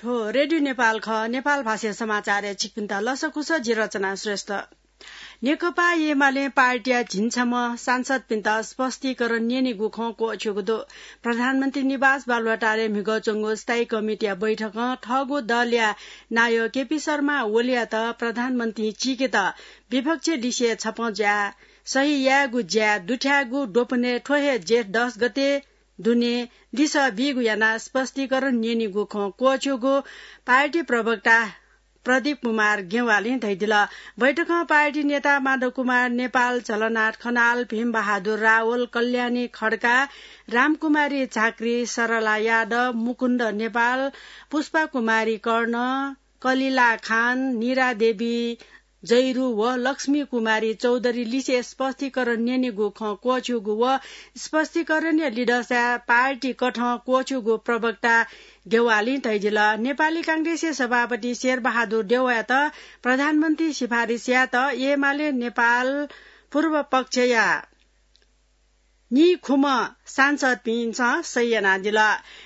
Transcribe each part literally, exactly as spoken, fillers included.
थ्व रेडियो नेपाल खः। नेपाल भाषाया समाचारय् छिकपिन्त लसकुस, जि रचना श्रेष्ठ। नेकपा एमाले पार्टीया झिंछम्ह सांसदपिन्त स्पष्टीकरण न्यनेगु खँ क्वःछ्यूगु दु। प्रधानमन्त्री निवास बालुवाटारय् म्हिगः च्वंगु स्थायी कमिटीया बैठकं थःगु दलया नायः केपी शर्मा ओलीयात प्रधानमन्त्री चीकेत विपक्ष लिसे छपँ जुयाः सही यायेगु ज्या दुथ्याःगु द्वपनय् थ्व हे जेठ दस गते दुने लिसः बीगु यानाः स्पष्टीकरण न्यनेगु खँ क्वःछ्यूगु पार्टी प्रवक्ता प्रदीप कुमार गेवालीं धयादिल। बैठकं पार्टी नेता माधव कुमार नेपाल, झलनाथ खनाल, भीम बहादुर रावल, कल्याणी खड्का, रामकुमारी झाँक्री, सरला यादव, मुकुन्द नेपाल, पुष्पा कुमारी कर्ण, कलिला खान, निरा देवी जैरू व लक्ष्मी कुमारी चौधरी लिसे स्पष्टीकरण न्यनेगु खँ क्वःछ्यूगु व स्पष्टीकरणया लिधंसाय् पार्टी कथं क्वःछ्यूगु प्रवक्ता गेवालीं धयादिल। नेपाली कांग्रेसया सभापति शेरबहादुर देउवायात प्रधानमन्त्री सिफारिस यायेत एमाले नेपाल पूर्व पक्षया निखुम्ह सांसदपिन्सं सही यानादिल।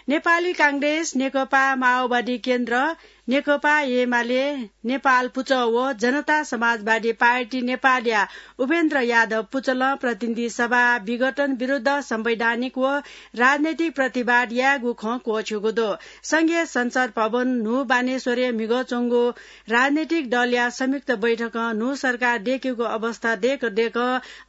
नेपाली कांग्रेस, नेकपा माओवादी केन्द्र, नेकपा एमाले, नेपाल पुचः व जनता समाजवादी पार्टी नेपालया उपेन्द्र यादव पुचलं प्रतिनिधि सभा विघटन विरुद्ध संवैधानिक व राजनैतिक प्रतिवाद यायेगु खँ क्वःछ्यूगु दु। संघीय संसद भवन न्हू बानेश्वरय् म्हिगः च्वंगु राजनैतिक दलया संयुक्त बैठकं न्हू सरकार दयेकेगु अवस्था दय्क दय्क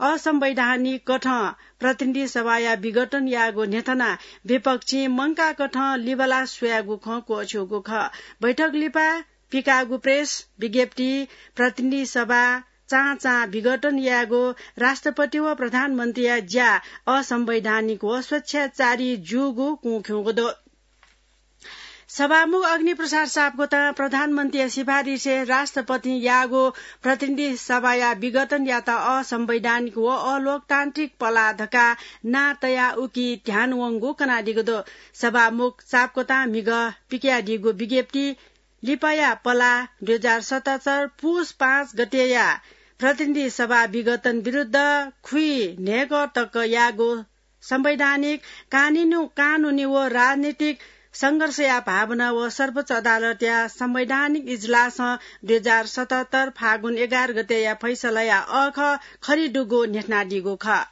असंवैधानिक कथं प्रतिनिधि सभाया विघटन याःगु न्ह्यथनाः विपक्षीं मंकाः कथं लिबालाः स्वयागु खँ क्वःछ्यूगु खः। बैठक लिपा पिकाःगु प्रेस विज्ञप्ति, प्रतिनिधि सभा चां चां विघटन यायेगु, राष्ट्रपति व प्रधानमन्त्रीया ज्या असंवैधानिक व स्वेच्छाचारी जूगु कुँख्यूगु दु। सभामुख अग्निप्रसाद सापकोटां प्रधानमन्त्रीया सिफारिसय् राष्ट्रपतिं याःगु प्रतिनिधि सभाया विघटन यात असंवैधानिक व अलोकतान्त्रिक पलाः धकाः नां तयाः उकी ध्यान वंगु कनादीगु दु। सभामुख सापकोटां म्हिगः पिकयादीगु विज्ञप्ति लिपाया पलाः दुई हजार सतहत्तर पुस पाँच गतेया प्रतिनिधि सभा विघटन विरुद्ध खुइ न्हय्कः तक याःगु संवैधानिक, कानिनु-, कानुनी व राजनीतिक संघर्षया भावना व सर्वोच्च अदालतया संवैधानिक इजलासं दुई हजार सतहत्तर फागुन एघार गतेया फैसलाया अःखः खरिदुगु न्ह्यथनादीगु खः।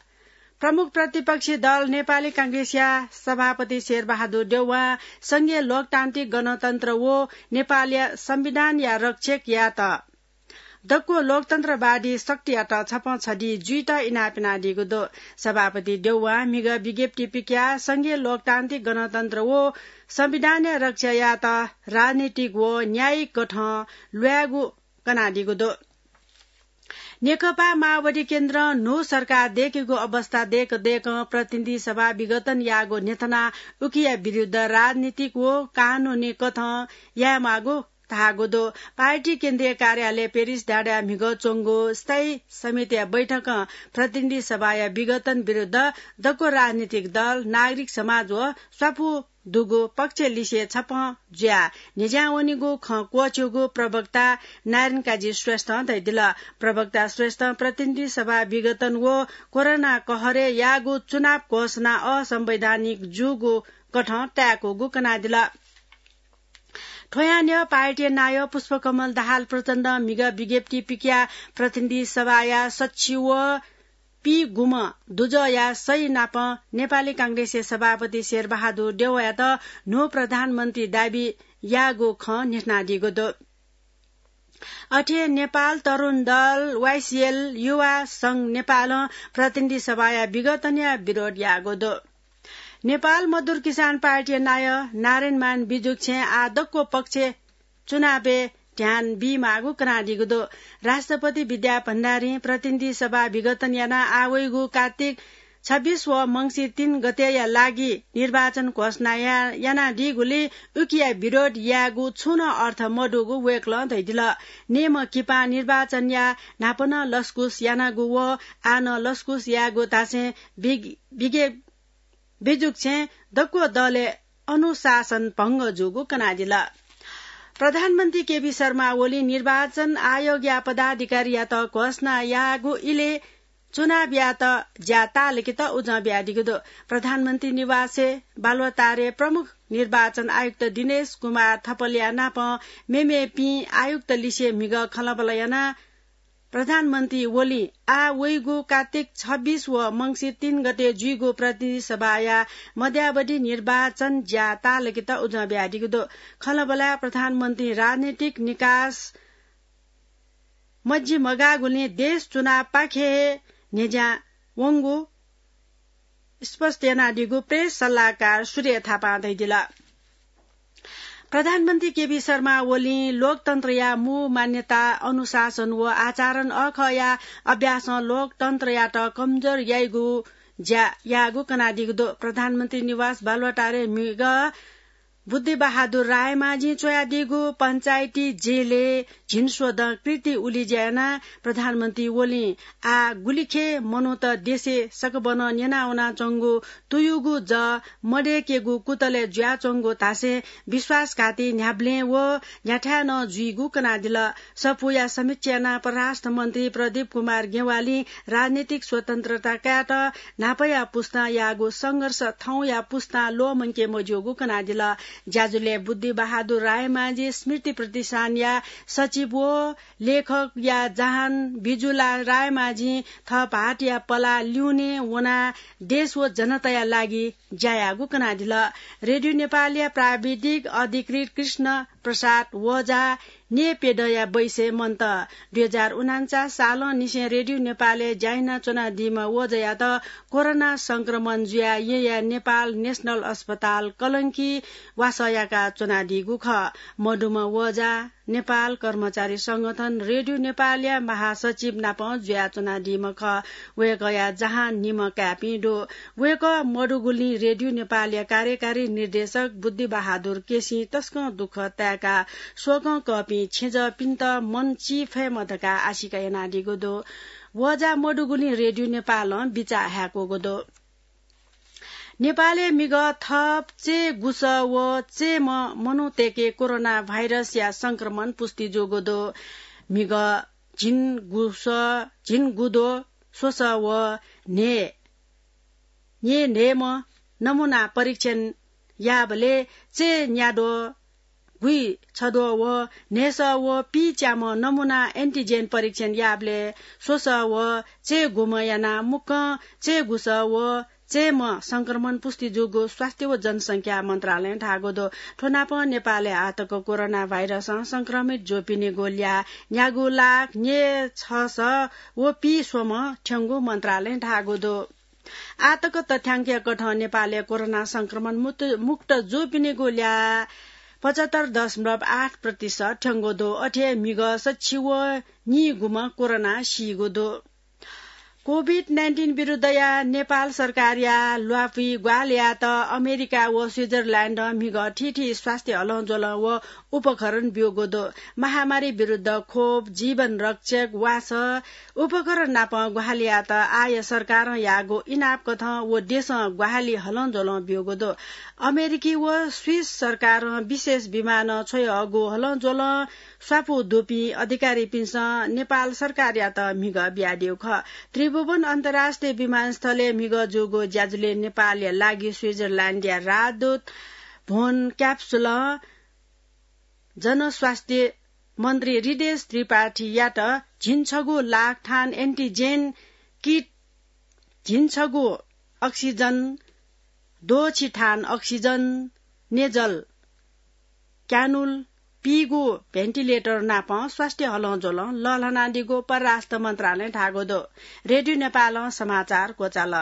प्रमुख प्रतिपक्षी दल नेपाली कांग्रेसया सभापति शेरबहादुर देउवां संघीय लोकतान्त्रिक गणतन्त्र व नेपालया संविधानया रक्षक यात दक्व लोकतन्त्रवादी शक्तियात छपं छधी जुइत इनाप यानादीगु दु। सभापति देउवां म्हिगः विज्ञप्ति पिकयाः संघीय लोकतान्त्रिक गणतन्त्र व संविधानया रक्षा यात राजनीतिक व न्यायिक कथं ल्वायेगु कनादीगु दु। नेकपा माओवादी केन्द्रं न्हू सरकार दय्केगु अवस्था दय्क दय्कं प्रतिनिधि सभा विघटन याःगु न्ह्यथनाः उकिया विरुद्ध राजनीतिक व कानुनी कथं यायेमाःगु धाःगु दु। पार्टी केन्द्रीय कार्यालय पेरिस डाँडाय् म्हिगः च्वंगु स्थायी समितिया बैठकं प्रतिनिधि सभाया विघटन विरुद्ध दक्व राजनीतिक दल, नागरिक समाज व स्वापू दुगु पक्ष लिसे छपं जुयाः न्ह्यज्यां वनीगु खँ क्वःछ्यूगु प्रवक्ता नारायण काजी श्रेष्ठं धयादिल। प्रवक्ता श्रेष्ठं प्रतिनिधि सभा विघटन व कोरोना कहरय् याःगु चुनाव घोषणा असंवैधानिक जूगु कथं ताय्कूगु कनादिल। थ्व यां न्ह्यः पार्टीया नायः पुष्पकमल दाहाल प्रचण्डं म्हिगः विज्ञप्ति पिकयाः प्रतिनिधि सभाया सच्छि व पीगुम्ह दुजःया सही नाप नेपाली कांग्रेसया सभापति शेरबहादुर देउवायात न्हू प्रधानमन्त्री दाबी याःगु खँ न्ह्यथनादीगु दु। अथे नेपाल तरुण दल, वाइसिएल, युवा संघ नेपालं प्रतिनिधि सभाया विघटनया विरोध याःगु दु। नेपाल मजदुर किसान पार्टीया नायः नारायणमान बिजुक्छें आः दक्व पक्ष चुनावय् ध्यान बीमाःगु कनादीगु दु। राष्ट्रपति विद्या भण्डारीं प्रतिनिधि सभा विघटन यानाः आः वइगु कार्तिक छब्बीस व मंसिर तीन गतेया लागि निर्वाचन घोषणा या-, यानादीगुलिं उकिया विरोध यायेगु छुं नं अर्थ मदुगु वय्कलं धयादिल। निम्ह किपां निर्वाचनया न्हापा नं लसकुस यानागु व आः नं लसकुस यायेगु धासें बिग-, बिगे-, बिजुक्छें दक्व दलय् अनुशासन भंग जूगु कनादिल। प्रधानमन्त्री केपी शर्मा ओलीं निर्वाचन आयोगया पदाधिकारीयात घोषणा याःगु इलय् चुनावयात ज्या ताःलाकेत उजं बियादीगु दु। प्रधानमन्त्री निवासय् बालुवाटारय् प्रमुख निर्वाचन आयुक्त दिनेश कुमार थपलिया नाप मेमेपिं आयुक्त लिसे म्हिगः खँल्हाबल्हा यानाः प्रधानमन्त्री ओलीं आः वइगु कात्तिक छब्बीस व मंसिर तीन गते जुइगु प्रतिनिधि सभाया मध्यावधि निर्वाचन ज्या ताःलाकेत उजं बियादीगु दु। खँल्हाबल्हाय् प्रधानमन्त्री राजनीतिक निकास मज्जी मगाःगुलिं देश चुनावपाखे हे न्ह्यज्यां वंगु स्पष्ट यानादीगु प्रेस सल्लाहकार सूर्य थापां धयादिल। प्रधानमन्त्री केपी शर्मा ओलीं लोकतन्त्रया मू मान्यता, अनुशासन व आचरण अखःया अभ्यासं लोकतन्त्रयात कमजोर याइगु ज्या याःगु कनादीगु दु। प्रधानमन्त्री निवास बालुवाटारय् म्हिगः बुद्धिबहादुर रायमाझीं च्वयादीगु पञ्चायती जेलय् झिंस्वदँ कृति उलिज्या यानाः प्रधानमन्त्री ओलीं आः गुलिखे मनूत देशय् सकबनं न्यनावनाच्वंगु तुयुगु जः मदय्केगु कुतलय् जुयाच्वंगु धासें विश्वासघाती न्ह्याबलें व न्ह्याथाय् नं जुइगु कनादिल। सफूया समीक्षा यानाः परराष्ट्र मन्त्री प्रदीप कुमार ज्ञवालीं राजनीतिक स्वतन्त्रता कायेत न्हापाया पुस्तां याःगु संघर्ष थौंया पुस्तां ल्वःमंके मज्यूगु कनादिल। ज्याझ्वलय् बुद्धिबहादुर रायमाझी स्मृति प्रतिष्ठानया सचिव व लेखकया जहान बिजुला रायमाझीं थः भाःतया पलाः लिउने वनाः देश व जनताया लागि ज्या याःगु कनादिल। रेडियो नेपालया प्राविधिक अधिकृत कृष्ण प्रसाद वजा न्येप्यदँया बैसय् मन्त। दुई हजार उनान्चास सालंनिसें रेडियो नेपालय् ज्या यानाच्वनादीम्ह वजायात कोरोना संक्रमण जुयाः येँया नेपाल नेशनल अस्पताल कलंकी वासः याकाच्वनादीगु खः। मदुम्ह वजा नेपाल कर्मचारी संगठन रेडियो नेपालया महासचिव नाप जुयाच्वनादीम्ह खः। वय्कःया जहान निम्ह काय्पिं दु। वय्कः मदुगुलिं रेडियो नेपालया कार्यकारी निर्देशक बुद्धिबहादुर केसीं तसकं दुःख ताय्काः शोकं कःपिं छेँजःपिन्त मन चिफयेमा धकाः आशिका यानादीगु दु। वजा मदुगुलिं रेडियो नेपालं बिचाः हाय्कूगु दु। नेपालय् म्हिगः थप चय्गुसः व चय्म्ह मनूतय्के कोरोना भाइरसया संक्रमण पुष्टि जूगु दु। म्हिगः झिंगुसः, झिंगुद्वः, स्वसः व न्हय्, न्हय्म्ह नमूना परीक्षण याःबलय् चय्न्याद्वः, गुइछद्वः व न्हय्सः व पीच्याम्ह नमूना एन्टिजेन परीक्षण याःबलय् स्वसः व चय्गुम्ह यानाः मुक्कं चय्गुसः व चय्म्ह संक्रमण पुष्टि जूगु स्वास्थ्य व जनसंख्या मन्त्रालयं धाःगु दु। थ्व नाप नेपालय् आःतक कोरोना भाइरसं संक्रमित जूपिनिगु ल्याः न्यागू लाख न्यय्छसः व पीस्वम्ह थ्यंगु मन्त्रालयं धाःगु दु। आःतक तथ्याङ्कया कथं नेपालय् कोरोना संक्रमण मुक्त, मुक्त जूपिनिगु ल्याः पचहत्तर दशमलव आठ प्रतिशत थ्यंगु दु। अथे हे म्हिगः सच्छि व नीगुम्ह कोरोनां सीगु दु। कोभिड नाइन्टिन विरुद्धया नेपाल सरकारया ल्वापुइ ग्वाहालि यायेत अमेरिका व स्विजरल्याण्डं म्हिगः थीथी स्वास्थ्य हलंज्वलं व उपकरण ब्यूगु दु। महामारी विरुद्ध खोप, जीवन रक्षक, वासः, उपकरण नाप ग्वाहालि यायेत आःया सरकारं याःगु इनाप कथं व देशं ग्वाहालि हलंज्वलं ब्यूगु दु। अमेरिकी व स्विस सरकारं विशेष विमानं छ्वयाहःगु हलंज्वलं स्वापू दुपिं अधिकारीपिन्सं नेपाल सरकारयात म्हिगः बियादीगु खः। त्रिभुवन अन्तर्राष्ट्रिय विमानस्थलय् म्हिगः जूगु ज्याझ्वलय् नेपालया लागि स्विजरल्याण्डया राजदूत भोन क्याप्सुलं जनस्वास्थ्य मन्त्री हृदेश त्रिपाठीयात झिंछगू लाख थान एन्टिजेन किट, झिंछगू अक्सिजन द्वःछि थान अक्सिजन नेजल क्यानुल पीगू भेन्टिलेटर नाप स्वास्थ्य हलंज्वलं लःल्हानादीगु परराष्ट्र मन्त्रालयं धाःगु दु। रेडियो नेपालं समाचार क्वचाल।